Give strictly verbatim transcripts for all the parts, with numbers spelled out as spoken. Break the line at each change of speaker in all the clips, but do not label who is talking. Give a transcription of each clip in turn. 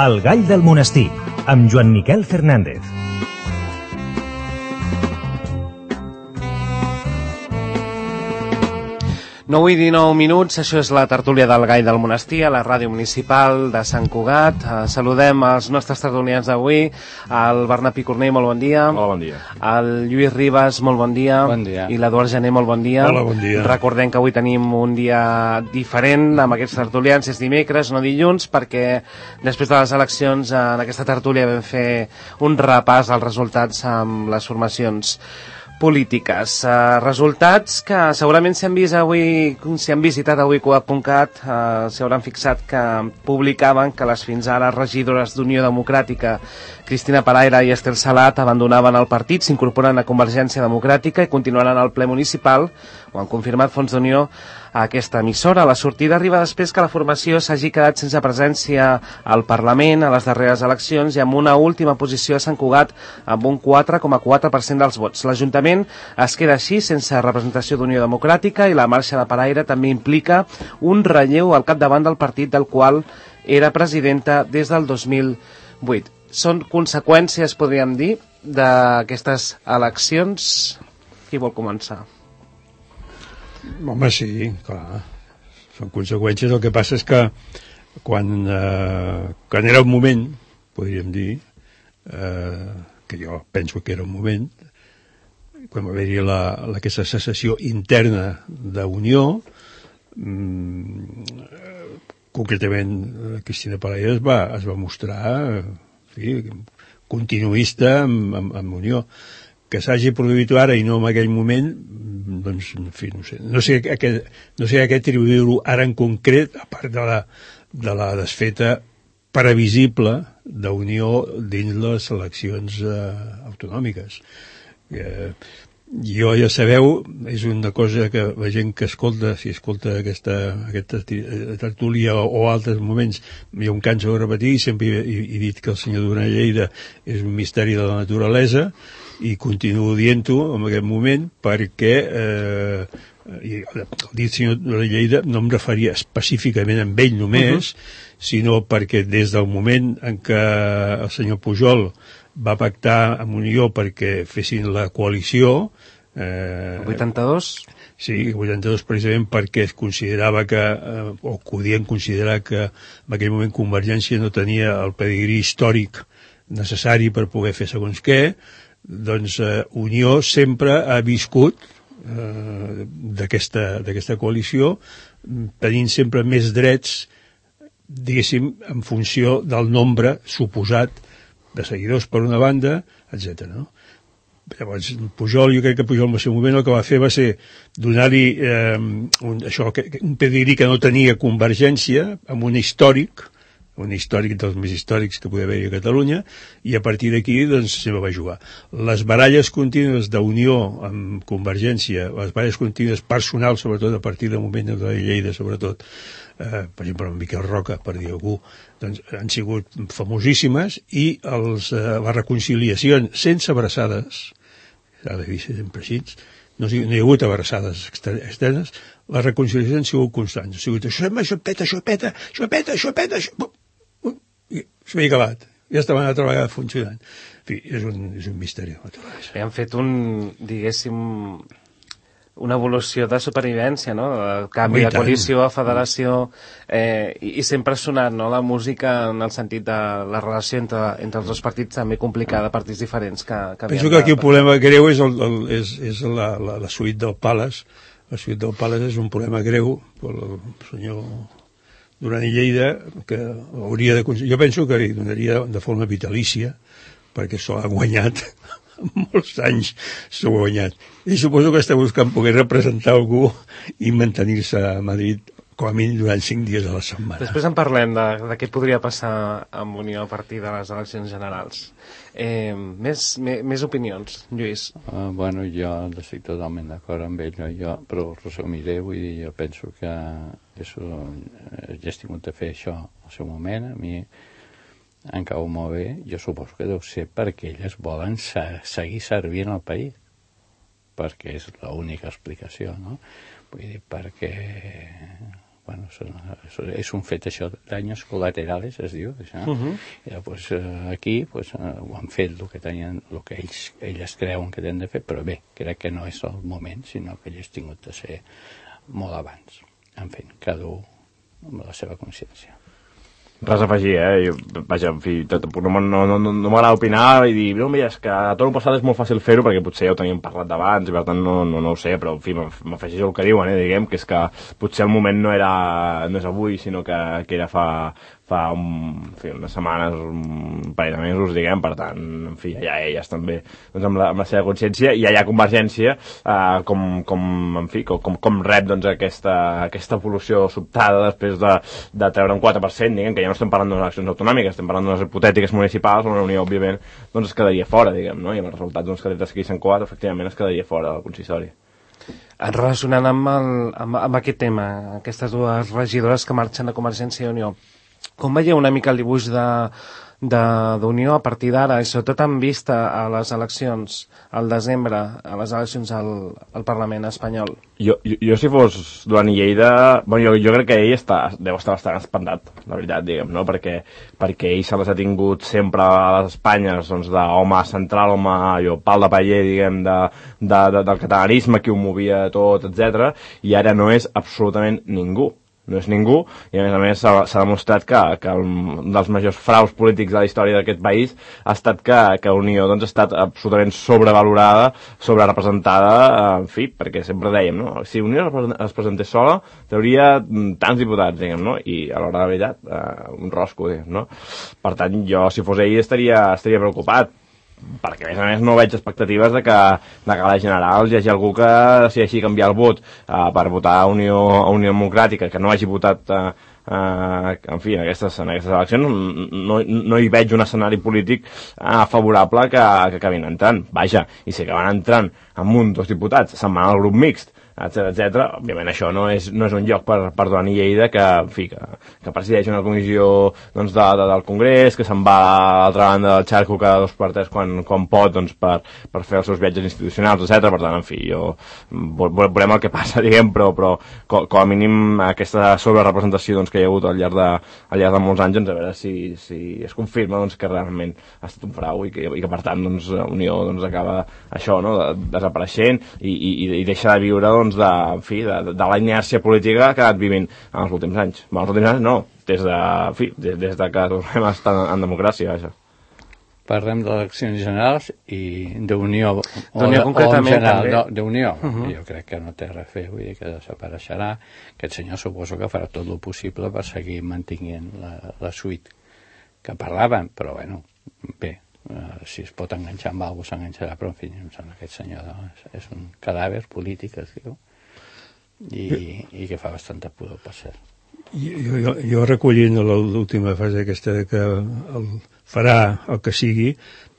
El gall del monestir, amb Joan Miquel Fernández.
nou i dinou minuts, això és la tertúlia del Gall del Monestir, a la ràdio municipal de Sant Cugat. Eh, saludem els nostres tertulians d'avui, el Bernat Picornell, molt bon dia.
Hola, bon dia.
El Lluís Ribas, molt bon dia.
Bon dia.
I l'Eduard Gené, molt bon dia.
Hola, bon dia.
Recordem que avui tenim un dia diferent amb aquests tertulians, és dimecres, no dilluns, perquè després de les eleccions en aquesta tertúlia vam fer un repàs als resultats amb les formacions polítiques. Uh, resultats que segurament s'han vist avui, si han visitat avui coap punt cat, uh, s'hauran fixat que publicaven que les fins ara regidores d'Unió Democràtica, Cristina Paraire i Estel Salat, abandonaven el partit, s'incorporen a Convergència Democràtica i continuaran al ple municipal. Ho han confirmat Fons d'Unió a aquesta emissora. La sortida arriba després que la formació s'hagi quedat sense presència al Parlament a les darreres eleccions i amb una última posició a Sant Cugat amb un quatre coma quatre per cent dels vots. L'Ajuntament es queda així sense representació d'Unió Democràtica i la marxa de Paraire també implica un relleu al capdavant del partit del qual era presidenta des del dos mil vuit. Són conseqüències, podríem dir, d'aquestes eleccions. Qui vol començar?
Home, sí, clar. Són conseqüències. El que passa és que quan, eh, quan era un moment, podríem dir, eh, que jo penso que era un moment, quan va haver-hi la, la, aquesta secessió interna d'Unió, mm, concretament Cristina Paraire es va, es va mostrar en fi, continuista amb, amb, amb Unió. Que s'hagi produït ara i no en aquell moment, doncs, en fi, no sé. No sé a què, no sé a què atribuir-ho ara en concret, a part de la, de la desfeta previsible d'Unió dins les eleccions eh, autonòmiques. Eh, jo, ja sabeu, és una cosa que la gent que escolta, si escolta aquesta, aquesta tertúlia o, o altres moments, jo em canso de repetir, sempre he, he dit que el senyor Duran Lleida és un misteri de la naturalesa, i continuo dient-ho en aquest moment perquè eh, i el dit senyor Duran Lleida no em referia específicament a ell només, uh -huh. sinó perquè des del moment en què el senyor Pujol va pactar amb Unió perquè fessin la coalició eh,
el vuitanta-dos?
Sí, el vuitanta-dos precisament perquè es considerava que, eh, o podien considerar que en aquell moment Convergència no tenia el pedigrí històric necessari per poder fer segons què. Doncs eh, Unió sempre ha viscut eh, d'aquesta d'aquesta coalició tenint sempre més drets, diguéssim, en funció del nombre suposat de seguidors per una banda, etcètera. No? Llavors, Pujol, jo crec que Pujol en el seu moment el que va fer va ser donar-li eh, un, això, un pedigrí que no tenia Convergència, amb un històric, un històric dels més històrics que podia haver-hi a Catalunya, i a partir d'aquí doncs se va jugar. Les baralles contínues d'Unió amb Convergència, les baralles contínues personals, sobretot a partir del moment de la Lleida, sobretot, eh, per exemple, amb Miquel Roca, per dir algú, doncs han sigut famosíssimes, i els, eh, les reconciliacions sense abraçades, s'ha de dir sempre així, no, no hi ha hagut abraçades externes, les reconciliacions han sigut constants, ha sigut això, això peta, això peta, això peta, això peta, això... i s'havia acabat, ja estava una altra vegada funcionant. En fi, és un, és un misteri.
Bé, han fet un, diguéssim, una evolució de supervivència, no? El canvi de coalició a federació, eh, i, i sempre ha sonat, no?, la música en el sentit de la relació entre, entre els dos partits també complicada, partits diferents que, que
penso que aquí el problema greu és, el, el, és, és la, la, la suite del Palace. La suite del Palace és un problema greu per el senyor Duran i Lleida, que hauria de... Jo penso que li donaria de forma vitalícia, perquè s'ho ha guanyat molts anys, s'ho ha guanyat. I suposo que està buscant poder representar algú i mantenir-se a Madrid com a mínim durant cinc dies a la setmana.
Després en parlem de, de què podria passar amb Unió a partir de les eleccions generals. Eh, més, més, més opinions, Lluís?
Uh, bueno, jo estic totalment d'acord amb ell, jo, però ho resumiré, vull dir, jo penso que això, ja estic de fer això al seu moment, a mi em cau molt bé, jo suposo que deu ser perquè elles volen se seguir servint al país, perquè és l'única explicació, no? Vull dir, perquè bueno, és un fet això, daños colaterales, es diu, això. Uh -huh. I pues, aquí pues, ho han fet el que tenien, el que ells, elles creuen que tenen de fer, però bé, crec que no és el moment, sinó que hagués tingut de ser molt abans. En fi, cada un amb la seva consciència.
Res a afegir, eh? Jo, vaja, en fi, tot, no, no, no, no m'agrada opinar i dir, no, mira, és que a tot el passat és molt fàcil fer-ho perquè potser ja ho teníem parlat d'abans i per tant no, no, no ho sé, però en fi, m'afegeixo el que diuen, eh? Diguem que és que potser el moment no era, no és avui, sinó que, que era fa, fa un, en fi, unes setmanes, un parell de mesos, diguem, per tant, en fi, ja elles també, doncs amb la, amb la seva consciència, i allà Convergència, eh, com, com, en fi, com, com rep, doncs, aquesta, aquesta evolució sobtada després de, de treure un quatre per cent, diguem, que ja no estem parlant d'unes eleccions autonòmiques, estem parlant d'unes hipotètiques municipals, on la Unió, òbviament, doncs es quedaria fora, diguem, no? I amb els resultats doncs, que des d'aquí s'han coat, efectivament es quedaria fora del consistori.
Relacionant amb, el, amb, amb aquest tema, aquestes dues regidores que marxen de Convergència i Unió, com veieu una mica el dibuix de d'Unió a partir d'ara, i sobretot en vista a les eleccions al desembre, a les eleccions al, al Parlament espanyol? Jo,
jo, jo si fos Duran i Lleida, bueno, jo, jo crec que ell està, deu estar bastant espantat, la veritat, diguem, no? Perquè, perquè ell se les ha tingut sempre a les Espanyes, doncs, d'home central, home, allò, pal de paller, diguem, de, de, de, del catalanisme, qui ho movia tot, etcètera, i ara no és absolutament ningú. No és ningú, i a més a més s'ha demostrat que, que un dels majors fraus polítics de la història d'aquest país ha estat que, que Unió doncs, ha estat absolutament sobrevalorada, sobrerepresentada, en fi, perquè sempre dèiem, no? Si Unió es presentés sola, trauria tants diputats, diguem, no? I a l'hora de la veritat, eh, un rosco, diguem, no? Per tant, jo, si fos ell, estaria, estaria preocupat, perquè a més a més no veig expectatives de que, de que a les generals hi hagi algú que decideixi canviar el vot uh, per votar a Unió, a Unió Democràtica, que no hagi votat uh, uh, en fi, en aquestes, en aquestes eleccions. No, no hi veig un escenari polític uh, favorable que, que acabin entrant. Vaja, i si acaben entrant amb un, dos diputats, se'n van al grup mixt, etcètera, etcètera. Òbviament això no és, no és un lloc per, per Duran i Lleida que, en fi, que, que presideix una comissió doncs, de, de, del Congrés, que se'n va a l'altra banda del xarco cada dos per tres quan, quan pot doncs, per, per fer els seus viatges institucionals, etcètera. Per tant, en fi, jo veurem el que passa, diguem, però, però com, com a mínim aquesta sobrerepresentació doncs, que hi ha hagut al llarg de, al llarg de molts anys, doncs, a veure si, si es confirma doncs, que realment ha estat un frau i que, i que per tant doncs, Unió doncs, acaba això, no?, de, desapareixent i, i, i deixa de viure doncs, de, en fi, de, de la inèrcia política que ha anat vivint en els últims anys. En els últims anys no, des de, en fi, des, des de que tornem a estar en, en democràcia, això.
Parlem d'eleccions generals i d'Unió,
o, o en general,
d'Unió. Uh -huh. Jo crec que no té res a fer, vull dir que desapareixerà. Aquest senyor suposo que farà tot el possible per seguir mantenint la, la suite que parlaven, però bueno, bé, Uh, si es pot enganxar amb alguna cosa s'enganxarà, però en fi, em sembla que aquest senyor és, és un cadàver polític, es diu, i, i que fa bastanta pudor, per cert.
Jo, jo, jo recollint l'última fase aquesta que el, farà el que sigui,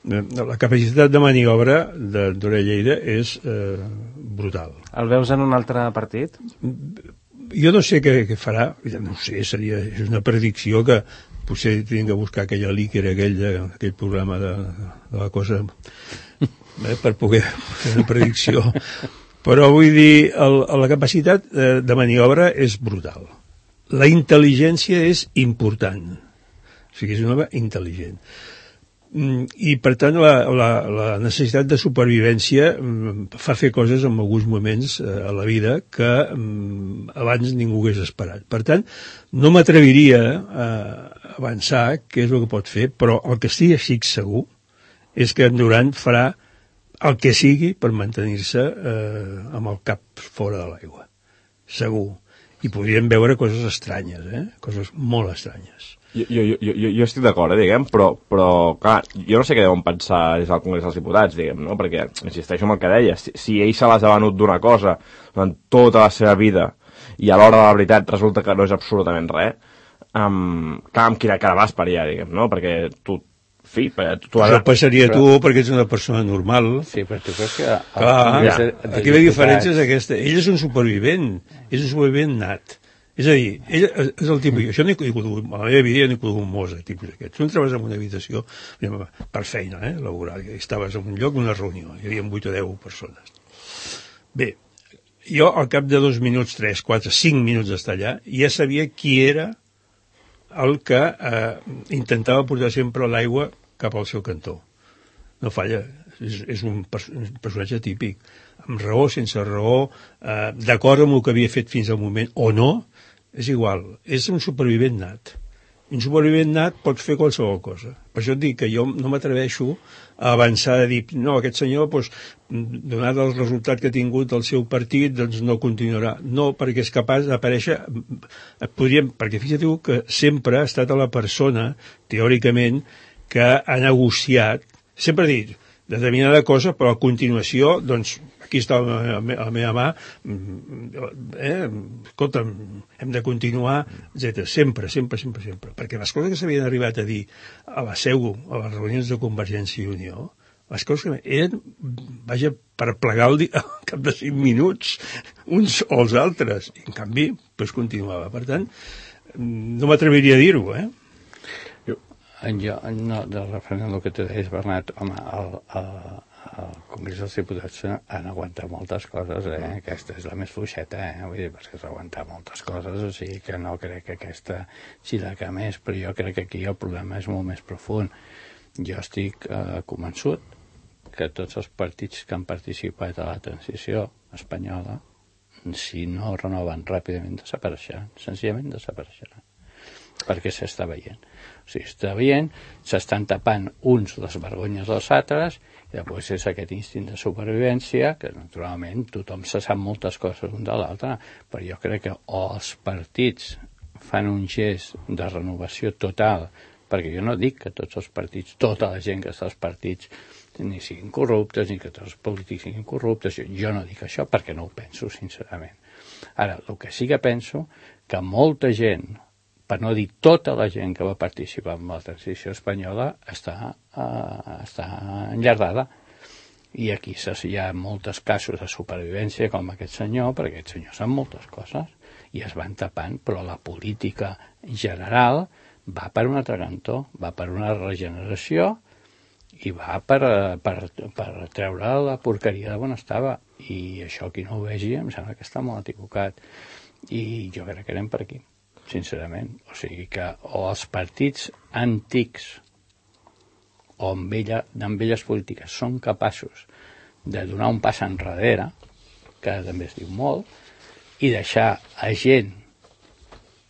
la capacitat de maniobra de Duran i Lleida és eh, brutal.
El veus en un altre partit?
Jo no sé què, què farà, no sé, seria, és una predicció que potser tinc que buscar aquella líquera, aquell, aquell programa de, de la cosa eh, per poder fer una predicció, però vull dir el, la capacitat de, de maniobra és brutal, la intel·ligència és important, o sigui, és un home intel·ligent i per tant la, la, la necessitat de supervivència fa fer coses en alguns moments a la vida que abans ningú hagués esperat. Per tant, no m'atreviria a avançar què és el que pot fer, però el que estigui així segur és que en Duran farà el que sigui per mantenir-se eh, amb el cap fora de l'aigua. Segur. I podríem veure coses estranyes, eh? Coses molt estranyes.
Jo, jo, jo, jo estic d'acord, eh, diguem, però, però, clar, jo no sé què deuen pensar des del Congrés dels Diputats, diguem, no? Perquè, insisteixo en el que deia, si, si ell se les ha venut d'una cosa durant tota la seva vida i a l'hora de la veritat resulta que no és absolutament res, um, clar, amb quina cara vas per allà, diguem, no? Perquè tu, fi, tu, tu
Això passaria però... tu perquè ets una persona normal.
Sí, però tu creus que...
Clar, ja. Aquí la diferència és aquesta. Ell és un supervivent, és un supervivent nat. És a dir, ell és el tipus... Això no he conegut, a la meva vida no he conegut molts tipus d'aquests. Tu entraves en una habitació per feina, eh, laboral, i estaves en un lloc, una reunió, hi havia vuit o deu persones. Bé, jo al cap de dos minuts, tres, quatre, cinc minuts d'estar allà, ja sabia qui era el que eh, intentava portar sempre l'aigua cap al seu cantó. No falla, és, és un, pers un personatge típic, amb raó, sense raó, eh, d'acord amb el que havia fet fins al moment, o no, és igual, és un supervivent nat. Un supervivent nat pot fer qualsevol cosa. Per això et dic que jo no m'atreveixo a avançar a dir, no, aquest senyor, doncs, donat el resultat que ha tingut el seu partit, doncs no continuarà. No, perquè és capaç d'aparèixer, podríem, perquè fixa't que sempre ha estat a la persona, teòricament, que ha negociat, sempre ha dit determinada cosa, però a continuació, doncs, aquí està la meva, la meva mà, eh, escolta'm, hem de continuar, etcètera. Sempre, sempre, sempre, sempre. Perquè les coses que s'havien arribat a dir a la seu, a les reunions de Convergència i Unió, les coses que eren, vaja, per plegar el dia, al cap de cinc minuts, uns o els altres. I, en canvi, doncs continuava. Per tant, no m'atreviria a dir-ho, eh?
Jo, no, de referent al que tu deies, Bernat, home, el, el, el Congrés dels Diputats han aguantat moltes coses, eh? Aquesta és la més fluixeta, eh? Vull dir, perquè s'ha aguantat moltes coses, o sigui que no crec que aquesta sigui la que més, però jo crec que aquí el problema és molt més profund. Jo estic eh, convençut que tots els partits que han participat a la transició espanyola, si no renoven ràpidament, desapareixeran, senzillament desapareixeran, perquè s'està veient. O sigui, està veient, s'estan tapant uns les vergonyes dels altres, i després és aquest instint de supervivència, que naturalment tothom se sap moltes coses un de l'altre, però jo crec que o els partits fan un gest de renovació total, perquè jo no dic que tots els partits, tota la gent que està als partits, ni siguin corruptes, ni que tots els polítics siguin corruptes, jo, jo no dic això perquè no ho penso, sincerament. Ara, el que sí que penso, que molta gent, per no dir tota la gent que va participar en la transició espanyola, està, uh, està enllardada. I aquí hi ha molts casos de supervivència com aquest senyor, perquè aquest senyor sap moltes coses, i es van tapant, però la política general va per un altre cantó, va per una regeneració i va per, per, per treure la porqueria de on estava. I això, qui no ho vegi, em sembla que està molt equivocat. I jo crec que anem per aquí, sincerament. O sigui que o els partits antics o amb, ella, amb elles polítiques són capaços de donar un pas enrere, que també es diu molt, i deixar a gent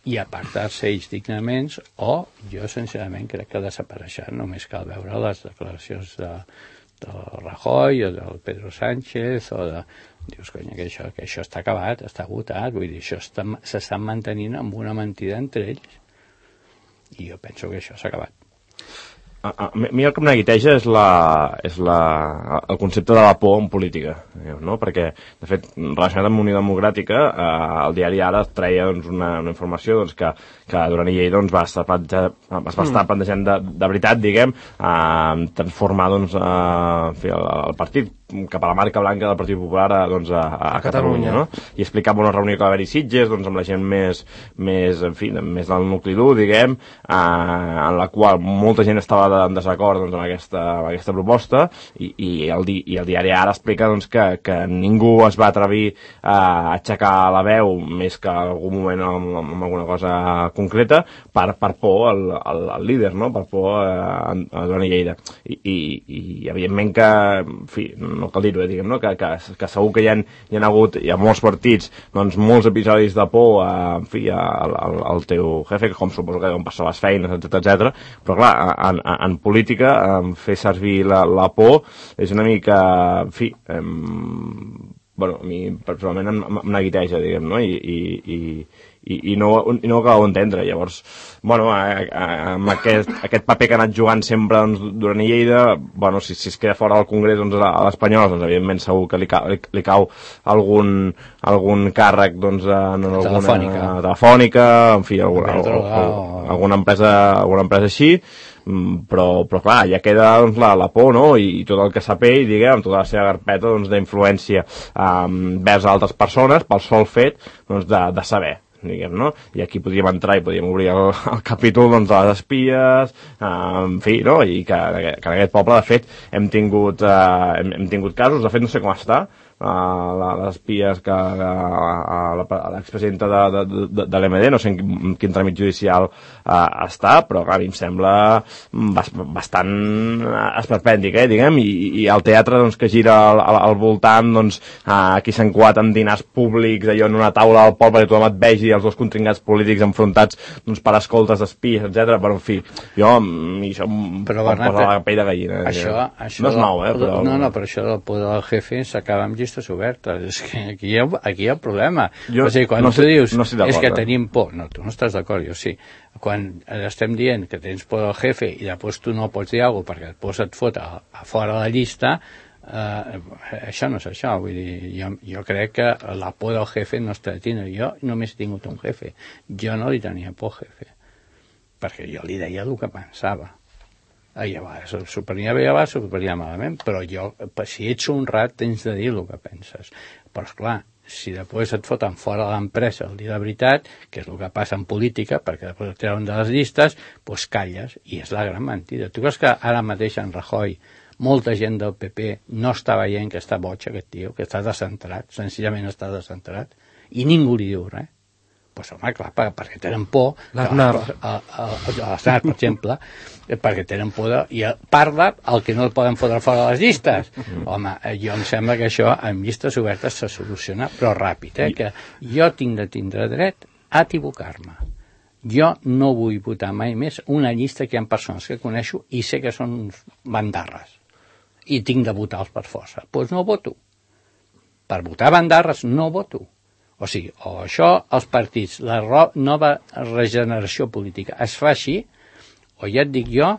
i apartar-se ells dignament, o jo sincerament crec que desapareixeran. Només cal veure les declaracions de, del Rajoy o del Pedro Sánchez o de... Dius, conya, que això, que això està acabat, està agotat, vull dir, això s'està mantenint amb una mentida entre ells. I jo penso que això s'ha acabat.
A, a, a mi el que em neguiteja és, la, és la, el concepte de la por en política, no? Perquè, de fet, relacionat amb Unió Democràtica, eh, el diari Ara treia doncs, una, una informació doncs, que, que Duran i Lleida doncs, va estar, es va estar plantejant de, de veritat, diguem, eh, transformar doncs, eh, el, el partit cap a la marca blanca del Partit Popular doncs, a, a, a Catalunya, no? I explicava una reunió que va haver-hi Sitges doncs, amb la gent més, més, en fi, més del nucli dur, diguem, eh, en la qual molta gent estava de, en desacord doncs, amb, aquesta, amb aquesta proposta, i, i, el, di, i el diari Ara explica doncs, que, que ningú es va atrevir a aixecar la veu més que en algun moment amb, amb alguna cosa concreta per, per por al, al, al líder, no? Per por a, a Duran i Lleida. I, i, i evidentment que, en fi, no cal dir-ho, eh, diguem, no? que, que, que segur que hi ha, hi ha hagut, hi ha molts partits, doncs molts episodis de por a, en fi, al, al, al teu jefe, com suposo que deuen passar les feines, etcètera, etcètera. Però clar, en, en, en política, en fer servir la, la por és una mica, en fi, em, bueno, a mi personalment em, em neguiteja, diguem, no? I, i, i, i, i no, i no ho acabo d'entendre. Llavors, bueno, a, a, amb aquest, aquest paper que ha anat jugant sempre doncs, Duran i Lleida, bueno, si, si es queda fora del Congrés doncs, a l'Espanyol, doncs evidentment segur que li, ca, li, li cau algun, algun càrrec doncs, en alguna
telefònica,
telefònica en fi, alguna, o, o, alguna, empresa, alguna empresa així, però, però clar, ja queda doncs, la, la por, no? I, i tot el que sap ell, diguem, tota la seva carpeta doncs, d'influència um, vers altres persones pel sol fet doncs, de, de saber, diguem, no? I aquí podríem entrar i podríem obrir el, el capítol doncs, de les espies, eh, en fi, no? I que, que en aquest poble, de fet, hem tingut, eh, hem, hem tingut casos, de fet no sé com està, les espies que l'expresidenta de, de, de, de l'M D, no sé en quin, quin tràmit judicial uh, està, però clar, a mi em sembla bastant esperpèntic, eh, diguem, i, i el teatre doncs, que gira al, al, al voltant, doncs, uh, aquí s'han coat amb dinars públics, allò en una taula al poble que tothom et vegi, els dos contrincants polítics enfrontats doncs, per escoltes d'espies, etcètera. Però en fi, jo això em posa la pell de gallina.
Això, això,
no és nou, eh? Però...
No, no, però això del poder del jefe s'acaba amb llistes obertes. És que aquí hi ha, aquí hi ha problema.
Jo,
o sigui, quan
no
tu
sé,
dius
no és
que tenim por, no, tu no estàs d'acord, jo sí. Quan estem dient que tens por del jefe i després tu no pots dir alguna cosa perquè després et fot a, a fora de la llista, eh, això no és això. Vull dir, jo, jo crec que la por del jefe no està tindre. Jo només he tingut un jefe. Jo no li tenia por al jefe, perquè jo li deia el que pensava. I a vegades s'ho prenia bé, a vegades s'ho prenia malament, però jo, si ets honrat, tens de dir el que penses. Però, esclar, si després et foten fora de l'empresa el dir la veritat, que és el que passa en política, perquè després et treuen de les llistes, doncs calles, i és la gran mentida. Tu creus que ara mateix en Rajoy, molta gent del P P no està veient que està boig aquest tio, que està descentrat, senzillament està descentrat, i ningú li diu res? Pues, home, clar, perquè tenen por,
l'Aznar,
l'Aznar, per exemple, perquè tenen por de, i parla el que no el poden fotre fora de les llistes. Home, jo em sembla que això amb llistes obertes se soluciona, però ràpid, eh? Que jo tinc de tindre dret a equivocar-me. Jo no vull votar mai més una llista que hi ha persones que coneixo i sé que són bandarres i tinc de votar-los per força. Doncs pues no voto. Per votar bandarres no voto. O sigui, o això, els partits, la nova regeneració política es fa així, o ja et dic jo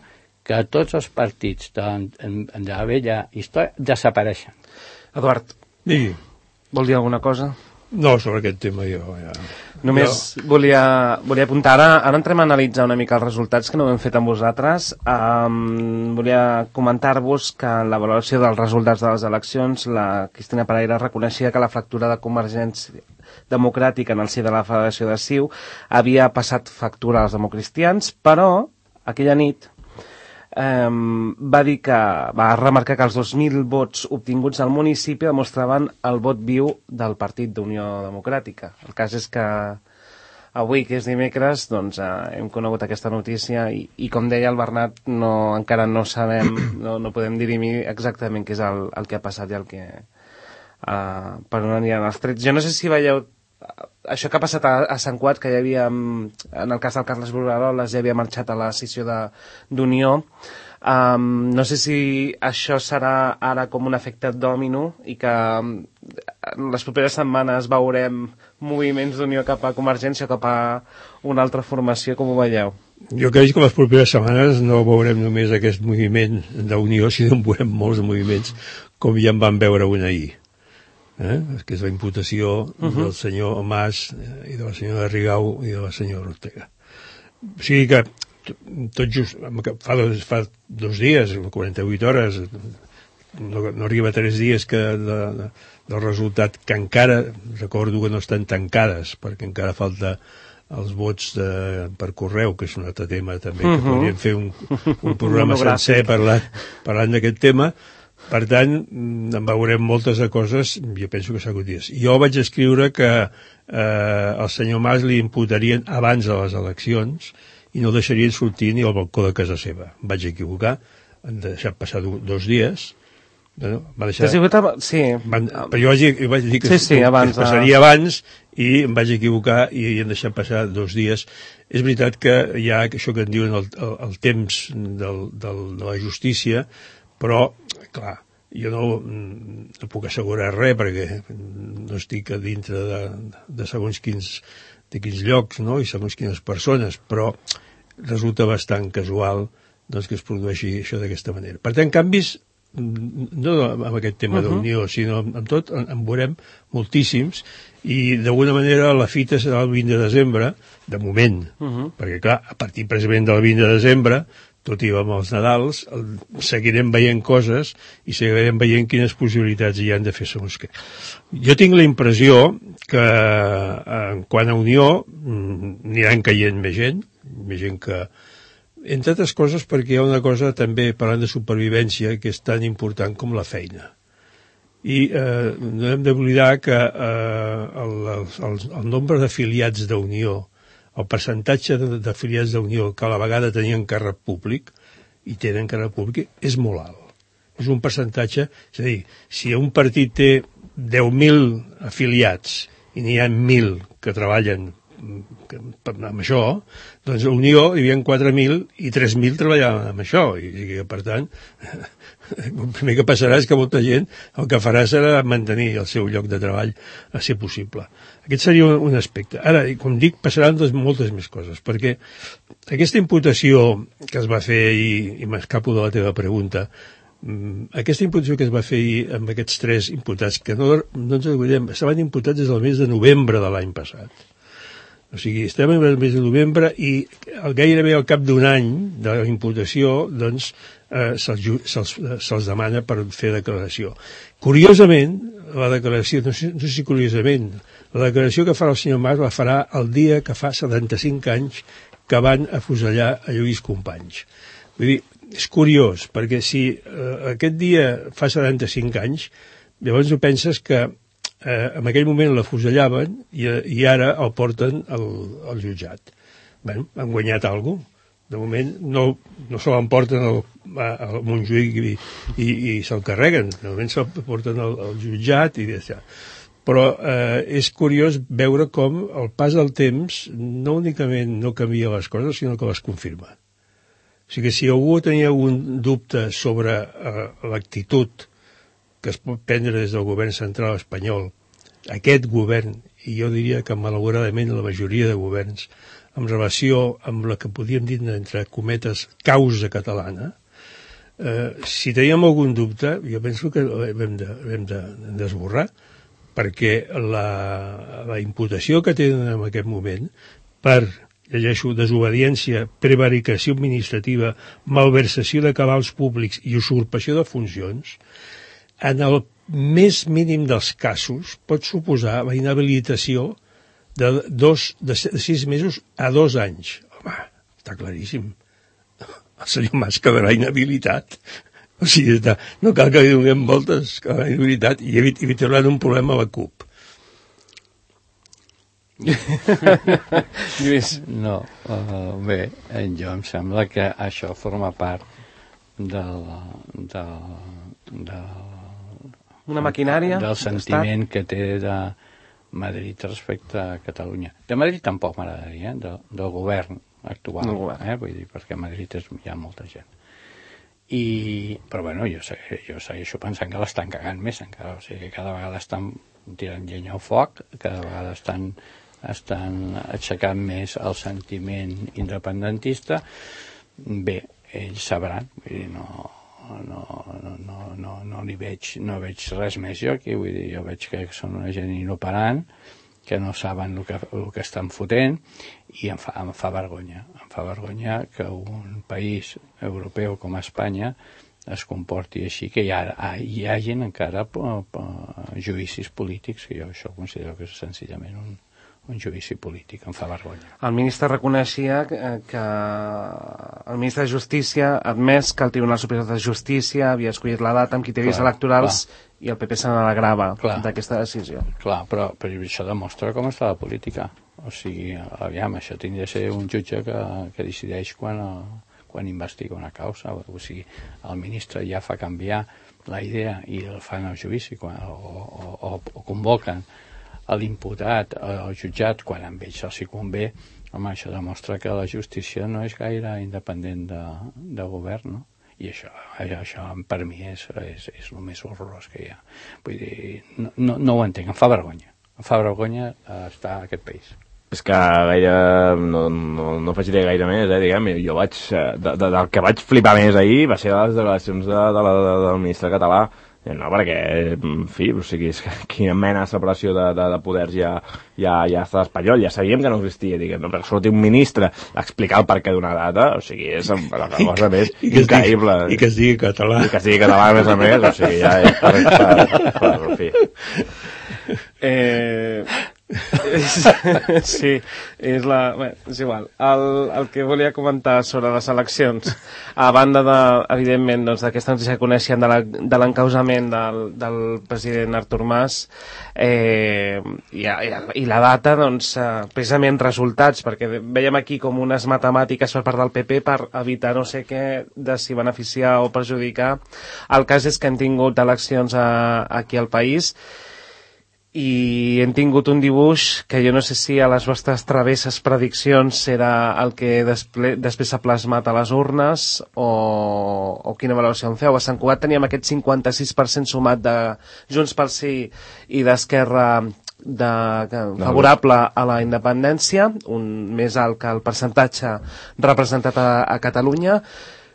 que tots els partits de, de la vella història desapareixen.
Eduard,
Digui.
vol dir alguna cosa?
No, sobre aquest tema jo ja...
Només jo... volia, volia apuntar, ara, ara entrem a analitzar una mica els resultats que no ho hem fet amb vosaltres. Um, volia comentar-vos que en la valoració dels resultats de les eleccions la Cristina Pereira reconeixia que la fractura de Convergència Democràtica en el si de la Federació de C I U havia passat factura als democristians, però aquella nit Um, va dir que va remarcar que els dos mil vots obtinguts al municipi demostraven el vot viu del Partit d'Unió Democràtica. El cas és que avui, que és dimecres, doncs, uh, hem conegut aquesta notícia i, i com deia el Bernat, no, encara no sabem, no, no podem dirimir exactament què és el, el que ha passat i el que, uh, per on aniran els trets. Jo no sé si veieu això que ha passat a, a Sant Cugat, que hi havia, en el cas del Carles Brugueroles, ja havia marxat a la sessió d'Unió. Um, no sé si això serà ara com un efecte dòmino i que en les properes setmanes veurem moviments d'Unió cap a Convergència o cap a una altra formació, com ho veieu?
Jo crec que les properes setmanes no veurem només aquest moviment d'Unió, sinó en veurem molts moviments, com ja en vam veure un ahir. Eh? Que és la imputació uh-huh. del senyor Mas i de la senyora Rigau i de la senyora Ortega. O sigui que tot just fa dos, fa dos dies, quaranta-vuit hores, no, no arriba a tres dies que de, de, del resultat, que encara recordo que no estan tancades perquè encara falta els vots de, per correu, que és un altre tema també, uh-huh. que podríem fer un, un programa sencer parlant, parlant d'aquest tema. Per tant, en veurem moltes de coses, jo penso que s'ha dies. Jo vaig escriure que eh, el senyor Mas li imputarien abans de les eleccions i no el deixarien sortir ni al balcó de casa seva. Em vaig equivocar, han deixat passar do, dos dies. Bueno, va deixar...
Sí.
Van, però jo vaig, jo vaig dir que,
sí, sí, abans,
que es passaria abans i em vaig equivocar i han deixat passar dos dies. És veritat que hi ha això que en diuen el, el, el temps del, del, de la justícia, però, clar, jo no, no puc assegurar res perquè no estic a dintre de, de segons quins, de quins llocs, no?, i segons quines persones, però resulta bastant casual doncs, que es produeixi això d'aquesta manera. Per tant, canvis, no amb aquest tema uh-huh. d'Unió, sinó amb tot, en, en veurem moltíssims, i d'alguna manera la fita serà el vint de desembre, de moment, uh-huh. perquè clar, a partir precisament del vint de desembre, tot i amb els Nadals, el, seguirem veient coses i seguirem veient quines possibilitats hi han de fer segons què. Jo tinc la impressió que en quant a Unió aniran caient més gent, més gent que... Entre altres coses perquè hi ha una cosa també, parlant de supervivència, que és tan important com la feina. I eh, no hem d'oblidar que eh, el, el, el nombre d'afiliats d'Unió, el percentatge d'afiliats d'Unió que a la vegada tenien càrrec públic i tenen càrrec públic és molt alt. És un percentatge, és a dir, si un partit té deu mil afiliats i n'hi ha mil que treballen amb això, doncs a Unió hi havia quatre mil i tres mil treballaven amb això, i, i per tant el primer que passarà és que molta gent el que farà serà mantenir el seu lloc de treball a ser possible. Aquest seria un, un aspecte. Ara, com dic, passaran doncs, moltes més coses, perquè aquesta imputació que es va fer, i, i m'escapo de la teva pregunta, aquesta imputació que es va fer amb aquests tres imputats, que no, no ens oblidem, estaven imputats des del mes de novembre de l'any passat. O sigui, estem en el mes de novembre i gairebé al cap d'un any de la imputació, doncs, eh, se'ls se se demana per fer declaració. Curiosament, la declaració, no sé, no sé si curiosament, la declaració que farà el senyor Mas la farà el dia que fa setanta-cinc anys que van afusellar a Lluís Companys. Vull dir, és curiós, perquè si eh, aquest dia fa setanta-cinc anys, llavors ho penses que eh, en aquell moment l'afusellaven i, i ara el porten al, al jutjat. Bé, han guanyat alguna cosa. De moment no, no se l'emporten al, al Montjuïc i, i, i se'l carreguen. De moment se'l porten al, al jutjat i ja. Però eh, és curiós veure com el pas del temps no únicament no canvia les coses, sinó que les confirma. O sigui que si algú tenia algun dubte sobre eh, l'actitud que es pot prendre des del govern central espanyol, aquest govern, i jo diria que malauradament la majoria de governs, en relació amb la que podíem dir entre cometes causa catalana, eh, si teníem algun dubte, jo penso que l'hem de, l'hem de, d'esborrar, perquè la, la imputació que tenen en aquest moment per llegeixo, desobediència, prevaricació administrativa, malversació de cabals públics i usurpació de funcions, en el més mínim dels casos pot suposar la inhabilitació de, dos, de sis mesos a dos anys. Home, està claríssim. El senyor Mas quedarà inhabilitat. O sigui, està, no cal que li donem voltes, quedarà inhabilitat i evitaran un problema a la CUP.
Lluís. No, uh, bé, jo em sembla que això forma part del, del, del,
una maquinària
del sentiment que té de Madrid respecte a Catalunya. De Madrid tampoc m'agradaria, eh? del, del govern actual, no, govern. Eh? Vull dir, perquè a Madrid és, hi ha molta gent. I, però bueno, jo, segueixo, jo segueixo pensant que l'estan cagant més encara, o sigui, cada vegada estan tirant llenya al foc, cada vegada estan estan aixecant més el sentiment independentista. Bé, ells sabran, vull dir, no, no, no, no, no, no li veig, no veig res més jo aquí, vull dir, jo veig que són una gent inoperant, que no saben el que, el que estan fotent, i em fa, em fa vergonya, em fa vergonya que un país europeu com Espanya es comporti així, que hi, ha, hi hagin encara po, po, judicis polítics, que jo això considero que és senzillament un un judici polític, em fa vergonya.
El ministre reconeixia que, que el ministre de Justícia ha admès que el Tribunal Superior de Justícia havia escollit la data amb criteris clar, electorals clar. I el P P se n'alegrava d'aquesta decisió.
Clar, però, però això demostra com està la política. O sigui, aviam, això tindria de ser un jutge que, que decideix quan, quan investiga una causa. O sigui, el ministre ja fa canviar la idea i el fan al judici quan, o, o, o, o convoquen a l'imputat, al jutjat, quan amb ells els hi convé. Home, això demostra que la justícia no és gaire independent de, de govern, no? I això, això per mi és, és, és el més horrorós que hi ha. Vull dir, no, no, no ho entenc, em fa vergonya. Em fa vergonya estar a aquest país.
És que gaire, no, no, no afegiré gaire més, eh, diguem, jo vaig, de, de, del que vaig flipar més ahir va ser les declaracions de, de, de, del ministre català. No, perquè, en fi, o sigui, és que quina mena de separació de, de, de poders ja, ja, ja està espanyol, ja sabíem que no existia, diguem, no? Perquè sortir un ministre a explicar el perquè d'una data, o sigui, és la cosa més
I que
increïble.
Digui, I que es digui català.
I que es digui català, a més a més, o sigui, ja és per, per, per, per, per fi.
Eh, Sí, és la... Bé, és igual. El, el que volia comentar sobre les eleccions, a banda, de, evidentment, doncs, d'aquesta notícia que coneixem de, la, de l'encausament del, del president Artur Mas, eh, i, i la data, doncs, eh, precisament resultats, perquè veiem aquí com unes matemàtiques per part del P P per evitar no sé què, de si beneficiar o perjudicar. El cas és que hem tingut eleccions a, aquí al país, i hem tingut un dibuix que jo no sé si a les vostres travesses prediccions serà el que desple després s'ha plasmat a les urnes o, o quina valoració en feu. A Sant Cugat teníem aquest cinquanta-sis per cent sumat de Junts pel Sí i d'Esquerra de, que, favorable a la independència, un més alt que el percentatge representat a, a Catalunya.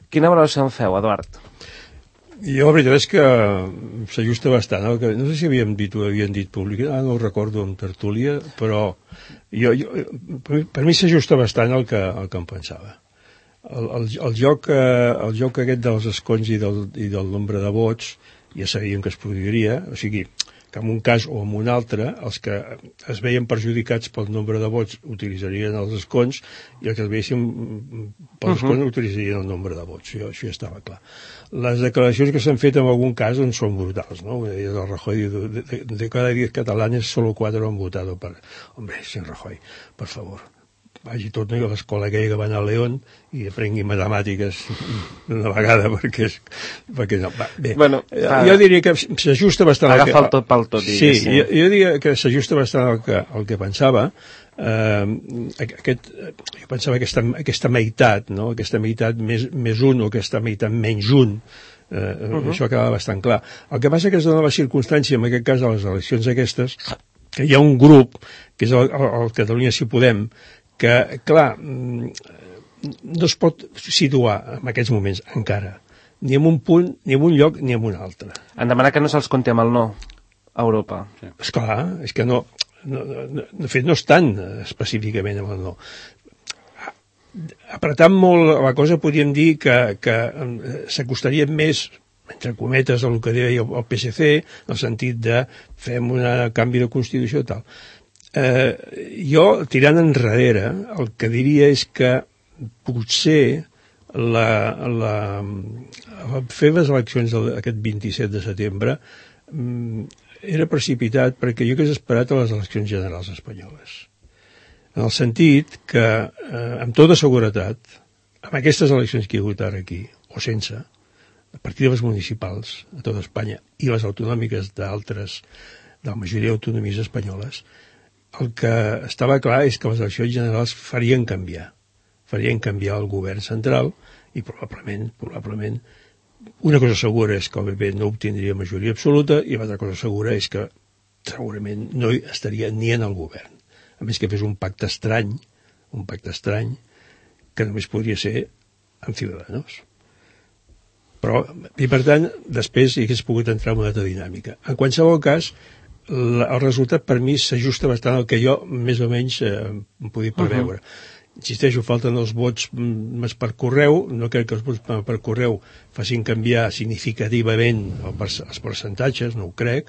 Quina valoració en feu, Eduard?
Jo, la veritat és que s'ajusta bastant. El que, no sé si havíem dit o havien dit públic, ah, no ho recordo en tertúlia, però jo, jo, per, mi, per mi s'ajusta bastant el que, el que em pensava. El, el, el, joc, el joc aquest dels escons i del, i del nombre de vots ja sabíem que es produiria, o sigui, que en un cas o en un altre, els que es veien perjudicats pel nombre de vots utilitzarien els escons i els que es veiessin pels escons uh-huh. utilitzarien el nombre de vots. Això, això ja estava clar. Les declaracions que s'han fet en algun cas doncs, són brutals, ¿no? El Rajoy, de, de, de cada diez catalanes, solo cuatro han votado per... Hombre, sin Rajoy, per favor. Vagi tot a l'escola aquella que van a León i aprengui matemàtiques d'una vegada, perquè, és, perquè no, va, bé,
bueno, fa...
jo diria que s'ajusta bastant
agafa el tot pel tot,
sí, jo, jo diria que s'ajusta bastant al que, al que pensava. Uh, aquest, jo pensava aquesta, aquesta meitat, no? Aquesta meitat més, més un o aquesta meitat menys un, uh, uh-huh. això acaba bastant clar. El que passa que es dona la circumstància, en aquest cas de les eleccions aquestes, que hi ha un grup, que és el, el, el Catalunya Si Podem, que, clar, no es pot situar en aquests moments encara, ni en un punt, ni en un lloc, ni en un altre.
En demanar que no se'ls compti amb el no a Europa.
Sí. Esclar, és que no, no, no, de fet no estan específicament amb el no. Apretant molt la cosa podríem dir que, que s'acostaria més, entre cometes, el que deia el P S C, en el sentit de fem un canvi de Constitució i tal. Eh, jo, tirant enrere, el que diria és que potser la, la, la fer les eleccions aquest vint-i-set de setembre mm, era precipitat perquè jo hagués esperat a les eleccions generals espanyoles. En el sentit que, eh, amb tota seguretat, amb aquestes eleccions que hi ha hagut ara aquí, o sense, a partir de les municipals a tota Espanya i les autonòmiques d'altres, de la majoria d'autonomies espanyoles, el que estava clar és que les eleccions generals farien canviar. Farien canviar el govern central i probablement, probablement, una cosa segura és que el P P no obtindria majoria absoluta i l'altra cosa segura és que segurament no estaria ni en el govern. A més que fes un pacte estrany, un pacte estrany, que només podria ser amb Ciudadanos. Però, i per tant, després hi hagués pogut entrar en una altra dinàmica. En qualsevol cas, el resultat per mi s'ajusta bastant al que jo més o menys eh, em podia preveure. Uh-huh. Insisteixo, falten els vots més per correu, no crec que els vots per correu facin canviar significativament els percentatges, no ho crec,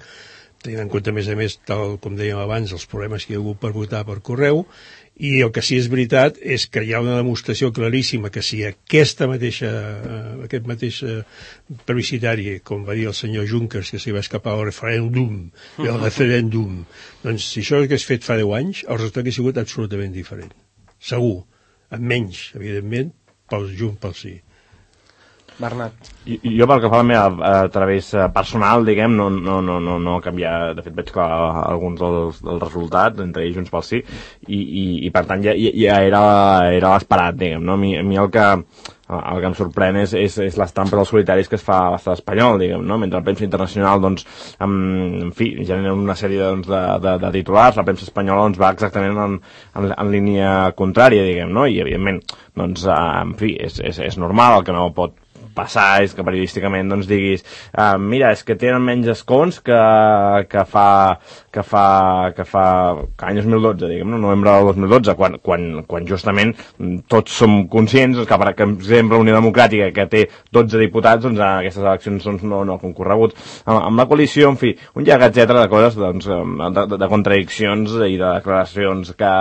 tenint en compte, a més a més, tal com dèiem abans, els problemes que hi ha hagut per votar per correu, i el que sí és veritat és que hi ha una demostració claríssima que si aquesta mateixa, aquest mateix plebiscitari, com va dir el senyor Junckers, que s'hi va escapar el referèndum, el referèndum, doncs si això hagués fet fa deu anys, el resultat hauria sigut absolutament diferent. Segur, amb menys, evidentment, pels Junts pel Sí.
Bernat.
I, jo pel que fa a la meva a través personal, diguem, no, no, no, no, no canviar, de fet veig que alguns dels, dels resultats, entre ells Junts pel Sí, i, i, i per tant ja, ja era, era l'esperat, diguem, no? A mi, a mi el que el que em sorprèn és, és, és les trampes dels solitaris que es fa a l'estat espanyol, diguem, no? Mentre la premsa internacional, doncs, en, en fi, genera una sèrie doncs, de, de, de titulars, la premsa espanyola doncs, va exactament en, en, en línia contrària, diguem, no? I, evidentment, doncs, en fi, és, és, és normal, el que no pot passar és que periodísticament doncs, diguis uh, mira, és que tenen menys escons que, que fa que fa, que fa que any dos mil dotze, diguem, no? Novembre del dos mil dotze, quan, quan, quan justament tots som conscients que, per exemple, Unió Democràtica, que té dotze diputats, doncs en aquestes eleccions doncs, no, no ha concorregut. Amb, amb la coalició, en fi, un llarg etcètera de coses, doncs, de, de, de contradiccions i de declaracions que,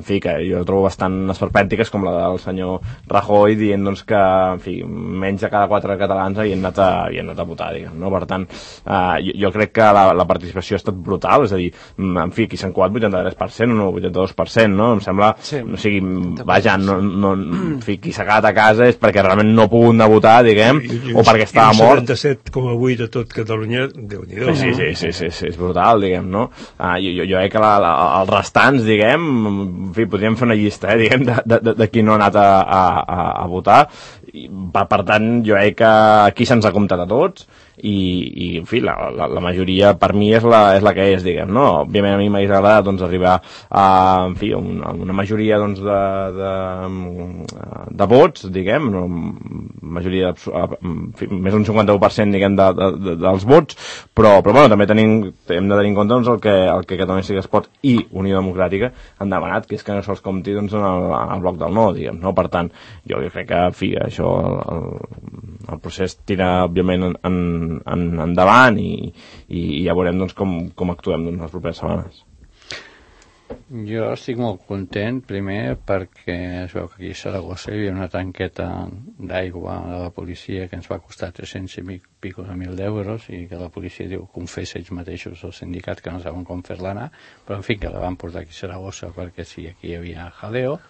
en fi, que jo trobo bastant esperpèntiques, com la del senyor Rajoy, dient doncs, que, en fi, menys de cada quatre catalans havien anat a, havien anat a votar, diguem, no? Per tant, eh, jo, jo crec que la, la participació ha estat brutal, és a dir, en fi, aquí s'han coat vuitanta-tres per cent o no, vuitanta-dos per cent, no? Em sembla, sí. O sigui, vaja, no, no, en fi, qui s'ha quedat a casa és perquè realment no ha pogut anar a votar, diguem, I, i, o perquè estava mort.
setanta-set coma vuit a tot Catalunya, Déu-n'hi-do.
Sí, sí, sí, sí, sí, és brutal, diguem, no? Ah, jo, jo, jo crec que la, la, els restants, diguem, en fi, podríem fer una llista, eh, diguem, de, de, de qui no ha anat a, a, a, a votar. I, per tant, jo crec que aquí se'ns ha comptat a tots, i, i en fi, la, la, la majoria per mi és la, és la que és, diguem, no? Òbviament a mi m'hagués agradat doncs, arribar a, en fi, una, una majoria doncs, de, de, de vots, diguem, una majoria, en fi, més d'un cinquanta-u per cent, diguem, de, de, de, dels vots, però, però bueno, també tenim, hem de tenir en compte doncs, el, que, el que Catalunya Sí que es Pot i Unió Democràtica han demanat, que és que no se'ls compti doncs, en, el, en el bloc del no, diguem, no? Per tant, jo crec que, en fi, això, el, el procés tira, òbviament, en, en En, endavant i, i ja veurem doncs, com, com actuem doncs, les properes setmanes.
Jo estic molt content, primer perquè es veu que aquí a Saragossa hi havia una tanqueta d'aigua de la policia que ens va costar tres-cents i pico de mil d'euros i que la policia diu, confessa ells mateixos al sindicat que no saben com fer-la anar, però en fi que la van portar aquí a Saragossa perquè sí, aquí hi havia jaleo,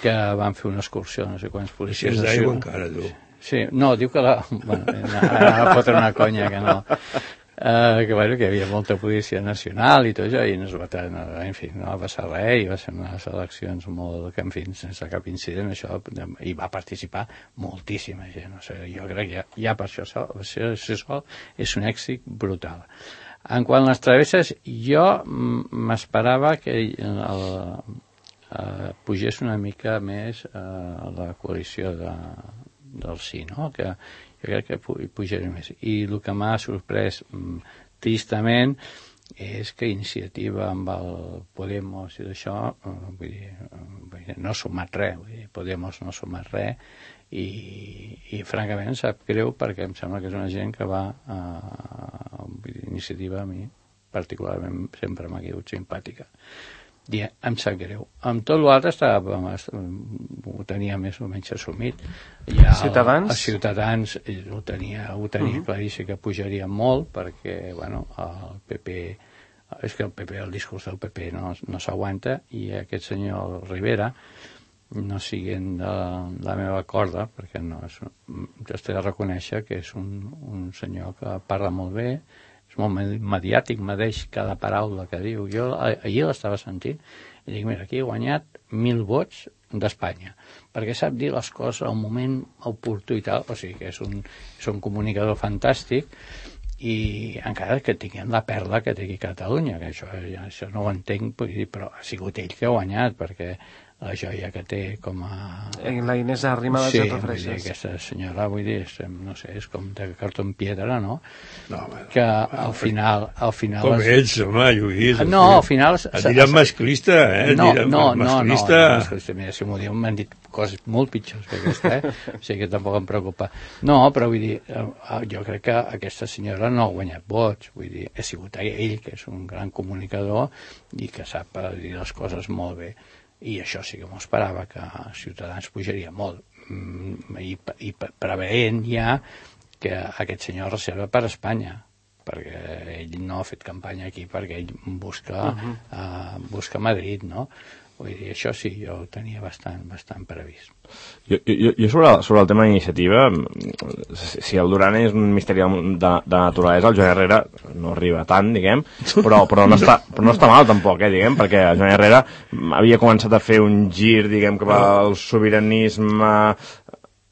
que van fer una excursió, no sé quants policies...
Si és d'aigua encara, tu.
Sí, no, diu que la... Bueno, ara va fotre una conya que no... Uh, que, bueno, que hi havia molta policia nacional i tot això, i no es va, en fi, no va passar res, i va ser unes eleccions molt, que en fi, sense cap incident, això, i va participar moltíssima gent, no sé, jo crec que ja, ja per això sol, això, això sol és un èxit brutal. En quant a les travesses, jo m'esperava que el, uh, pugés una mica més uh, la coalició de del sí, no? Que jo crec que pujaré més. I el que m'ha sorprès mm, tristament és que Iniciativa amb el Podemos i d'això, eh, vull dir, vull dir, no ha sumat res, vull dir, Podemos no ha sumat res i, i francament em sap greu perquè em sembla que és una gent que va a, vull dir, Iniciativa a mi particularment sempre m'ha quedat simpàtica. I em sap greu. Amb tot l'altre estava, ho tenia més o menys assumit.
Ja Ciutadans?
Els Ciutadans ho tenia, ho tenia uh-huh. claríssim que pujaria molt perquè, bueno, el P P, és que el P P, el discurs del P P no, no s'aguanta i aquest senyor Rivera, no siguin de la meva corda, perquè no és, jo estic de reconèixer que és un, un senyor que parla molt bé, és molt mediàtic, medeix cada paraula que diu. Jo ahir l'estava sentint i dic, mira, aquí he guanyat mil vots d'Espanya, perquè sap dir les coses al moment oportú i tal, o sigui que és un, és un comunicador fantàstic i encara que tinguem la perla que té aquí a Catalunya, que això, ja, això no ho entenc, però ha sigut ell que ha guanyat, perquè la joia que té com a...
La Inés Arrimadas
sí,
et refereixes.
Sí, aquesta senyora, vull dir, és, no sé, és com de cartó en piedra, no?
No, bueno,
que al final... Al final
com
es...
ets, home, Lluís?
No, al final...
Et diran masclista, eh?
No, no, no,
masclista.
no, no, masclista. Mira, si m'ho diuen, m'han dit coses molt pitjors que aquesta, eh? O sigui que tampoc em preocupa. No, però vull dir, jo crec que aquesta senyora no ha guanyat vots, vull dir, ha sigut ell, que és un gran comunicador i que sap dir les coses molt bé. I això sí que m'ho esperava, que Ciutadans pujaria molt, i, i preveient ja que aquest senyor reserva per Espanya, perquè ell no ha fet campanya aquí, perquè ell busca, uh-huh. uh, busca Madrid, no? Vull dir, això sí, jo ho tenia bastant, bastant previst.
Jo, jo, jo sobre, sobre el tema d'iniciativa, si el Duran és un misteri de, de naturalesa, el Joan Herrera no arriba tant, diguem, però, però, no, està, però no està mal tampoc, eh, diguem, perquè el Joan Herrera havia començat a fer un gir, diguem, cap al sobiranisme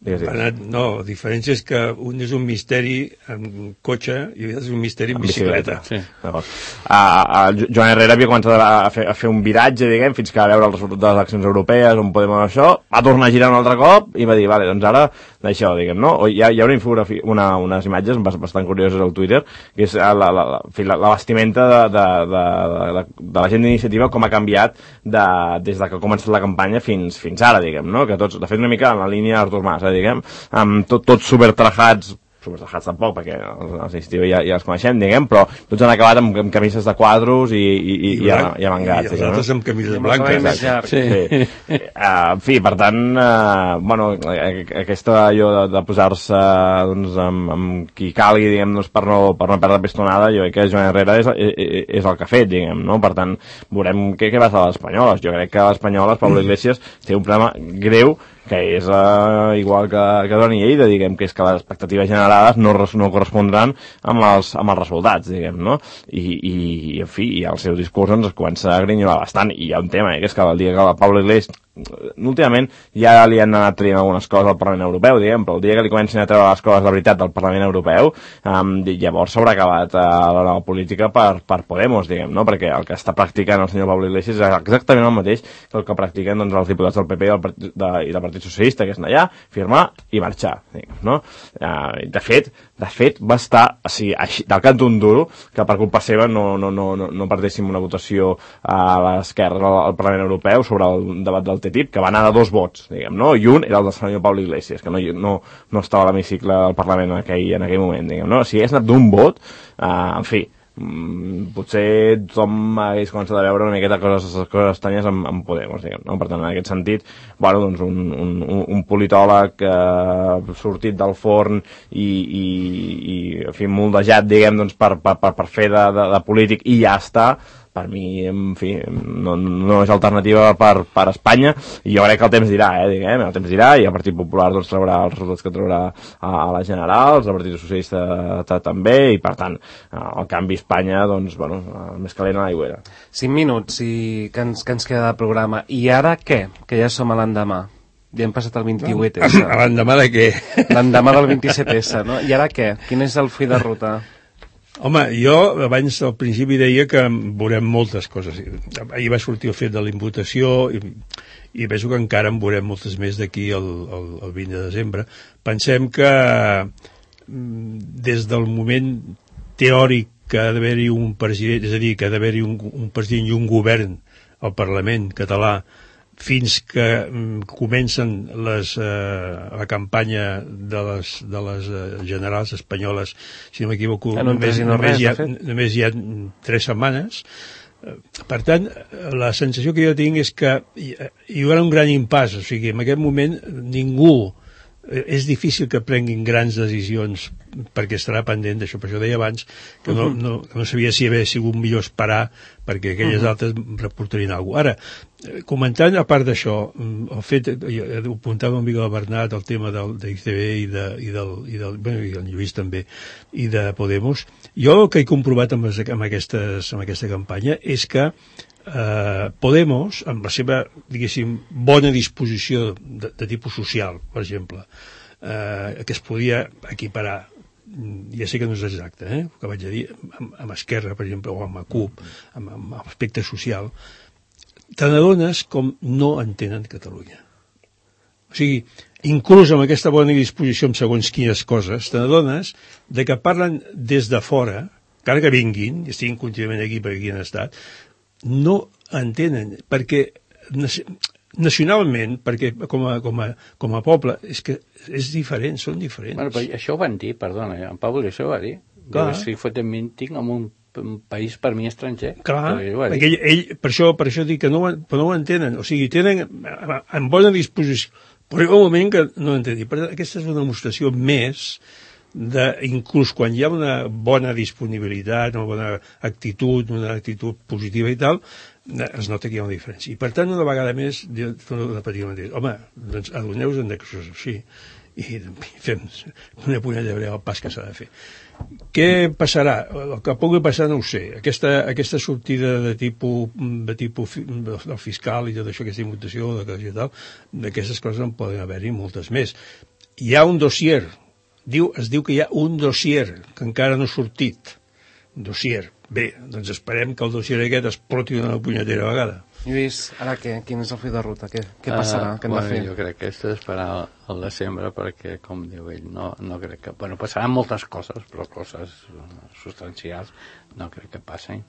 Digues, digues.
Anat, no, la diferència és que un és un misteri amb cotxe i l'altre és un misteri amb, amb bicicleta.
bicicleta. Sí. Uh, uh, Joan Herrera havia començat a fer, a fer un viratge, diguem, fins que va veure el resultat de les eleccions europees, on podem això, va tornar a girar un altre cop i va dir, vale, doncs ara d'això, diguem, no? Hi ha, hi ha una infografia, una, unes imatges bastant curioses al Twitter, que és la, la, la, la, la vestimenta de, de, de, de, de la gent d'iniciativa, com ha canviat de, des de que ha començat la campanya fins, fins ara, diguem, no? Que tots, de fet, una mica en la línia Artur Mas, diguem, amb tot, tots supertrajats, supertrajats tampoc, perquè els, els d'iniciativa ja, ja els coneixem, diguem, però tots han acabat amb, amb camises de quadros i, i, i, i, i amangats.
I els altres amb camises blanques.
Sí. sí. Uh, en fi, per tant, uh, bueno, aquesta allò de, de posar-se doncs, amb, amb qui calgui, diguem, doncs, per, no, per no perdre pistonada, jo crec que Joan Herrera és, és, és el que ha fet, diguem, no? Per tant, veurem què, què va ser a les espanyoles. Jo crec que a les espanyoles, Pablo Iglesias, té un problema greu, que és uh, igual que, que Duran i Lleida, diguem, que és que les expectatives generades no, no correspondran amb els, amb els resultats, diguem, no? I, i, en fi, i el seu discurs ens comença a grinyolar bastant, i hi ha un tema, eh, que és que el dia que el Pablo Iglesias, últimament ja li han anat traient algunes coses al Parlament Europeu, diguem, però el dia que li comencin a treure les coses de veritat del Parlament Europeu, um, llavors s'haurà acabat uh, la nova política per, per Podemos, diguem, no? Perquè el que està practicant el senyor Pablo Iglesias és exactament el mateix que el que practiquen, doncs, els diputats del P P i del, Partit, de, i del Partit Socialista, que és anar allà, firmar i marxar, diguem, no? Uh, de fet, de fet, va estar, o sigui, així, del cant d'un duro, que per culpa seva no, no, no, no, no perdéssim una votació a l'esquerra al, al Parlament Europeu sobre el debat del T T I P, que va anar de dos vots, diguem, no? I un era el del senyor Pablo Iglesias, que no, no, no estava a l'hemicicle del Parlament en aquell, en aquell moment, diguem, no? Si hagués anat d'un vot, uh, en fi, mm, potser tothom hagués començat a veure una miqueta coses, coses estranyes amb, amb Podemos, diguem, no? Per tant, en aquest sentit, bueno, doncs un, un, un politòleg eh, sortit del forn i, i, i en fi, moldejat, diguem, doncs, per, per, per, per fer de, de, de polític i ja està, per mi, en fi, no, no és alternativa per, per Espanya, i jo crec que el temps dirà, eh, diguem, el temps dirà, i el Partit Popular doncs traurà els resultats que traurà a, a les generals, el Partit Socialista també, i per tant, el canvi a Espanya, doncs, bueno, més calent a l'aigüera.
Cinc minuts i que ens, que ens queda de programa. I ara què? Que ja som a l'endemà. Ja hem passat el vint-i-vuit esse.
A l'endemà de què?
L'endemà del vint-i-set esse, no? I ara què? Quin és el full de ruta?
Home, jo abans al principi deia que veurem moltes coses. Ahir va sortir el fet de la imputació i, i penso que encara en veurem moltes més d'aquí al, al, al vint de desembre. Pensem que des del moment teòric que ha d'haver-hi un president, és a dir, que ha d'haver-hi un, un president i un govern al Parlament català, fins que mm, comencen les, eh, la campanya de les, de les eh, generals espanyoles, si no m'equivoco,
no
només,
no
només,
res,
hi ha, només hi ha tres setmanes. Per tant, la sensació que jo tinc és que hi, hi haurà un gran impàs, o sigui, en aquest moment ningú, és difícil que prenguin grans decisions perquè estarà pendent d'això, per això deia abans que no, no, no sabia si havia sigut millor esperar perquè aquelles uh -huh. altres reportarien alguna cosa. Ara, comentant a part d'això, el fet, ho apuntava un mica el Bernat, el tema del, de I C B i, de, i, del, i, del, bueno, i el Lluís també, i de Podemos, jo el que he comprovat amb, les, amb, aquestes, amb aquesta campanya és que Uh, Podemos, amb la seva, diguéssim, bona disposició de, de tipus social, per exemple, uh, que es podia equiparar, ja sé que no és exacte, eh, el que vaig a dir, amb, amb Esquerra, per exemple, o amb la CUP, amb, amb aspecte social, te n'adones com no entenen Catalunya. O sigui, inclús amb aquesta bona disposició en segons quines coses, te n'adones de que parlen des de fora, encara que vinguin, i estiguin contínuament aquí perquè aquí han estat, no entenen, perquè nacionalment, perquè com a, com a, com a poble, és que és diferent, són diferents.
Bueno, però això ho van dir, perdona, en Pablo això ho va dir. Clar. Si fotem minting en un, un país per mi estranger.
Clar, perquè ell, ell, per, això, per això dic que no, no ho entenen, o sigui, tenen en bona disposició, però hi ha un moment que no ho entenen. Per tant, aquesta és una demostració més de, inclús quan hi ha una bona disponibilitat, una bona actitud, una actitud positiva i tal, es nota que hi ha una diferència. I per tant, una vegada més, jo torno a repetir el mateix. Home, doncs adoneu-vos que això és així i fem una punyada de breu el pas que s'ha de fer. Què passarà? El que pugui passar no ho sé. Aquesta, aquesta sortida de tipus, de tipus del fiscal i tot això, aquesta imputació, d'aquestes coses en poden haver-hi moltes més. hi ha un dossier, diu, es diu que hi ha un dossier que encara no ha sortit. Un dossier. Bé, doncs esperem que el dossier aquest exploti una punyetera vegada.
Lluís, ara què? Quin és el full de ruta? Què, què passarà?
Uh,
què hem
bueno,
de fer?
Jo crec que és esperar al desembre perquè, com diu ell, no, no crec que... Bueno, passaran moltes coses, però coses substancials no crec que passin.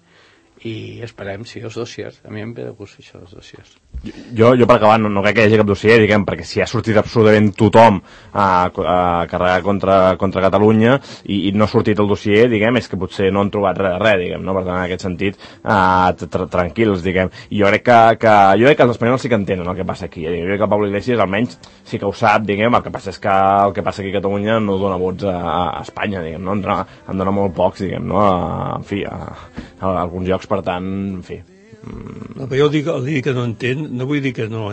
I esperem, sí, els dossiers. A mi em ve de gust això, els dossiers.
Jo, jo per acabar, no, no crec que hi hagi cap dossier, diguem, perquè si ha sortit absolutament tothom a, a carregar contra, contra Catalunya i, i no ha sortit el dossier, diguem, és que potser no han trobat res de res, diguem, no? Per tant, en aquest sentit, uh, tranquils, diguem. I jo crec que, que, jo crec que els espanyols sí que entenen el que passa aquí. Jo crec que el Pablo Iglesias almenys sí que ho sap, diguem, el que passa és que el que passa aquí a Catalunya no dona vots a, a Espanya, diguem, no? En dona, en dona molt pocs, diguem, no? A, en fi, a, a, a alguns llocs, per tant, en fi...
No, però jo dic, el dir que no entén, no vull dir que no,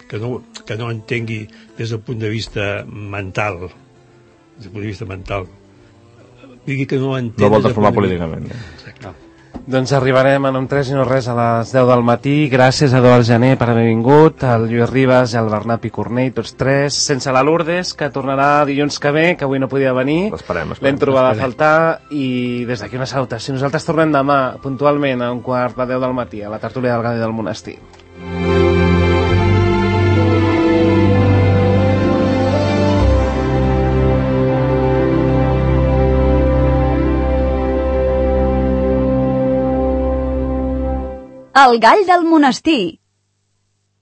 que, no, que no entengui des del punt de vista mental, des del punt de vista mental. Vull dir que no entén...
No vol transformar políticament.
Exacte.
Doncs arribarem en un tres i no res a les deu del matí. Gràcies a Eduard Jané per haver vingut, al Lluís Ribas i al Bernat Picornell, tots tres, sense la Lourdes, que tornarà dilluns que ve, que avui no podia venir.
L'esperem, l'esperem.
L'hem trobada a faltar i des d'aquí una salutació. Nosaltres tornem demà, puntualment, a un quart de deu del matí, a la tertúlia del Gadi del Monestir.
El Gall del Monestir,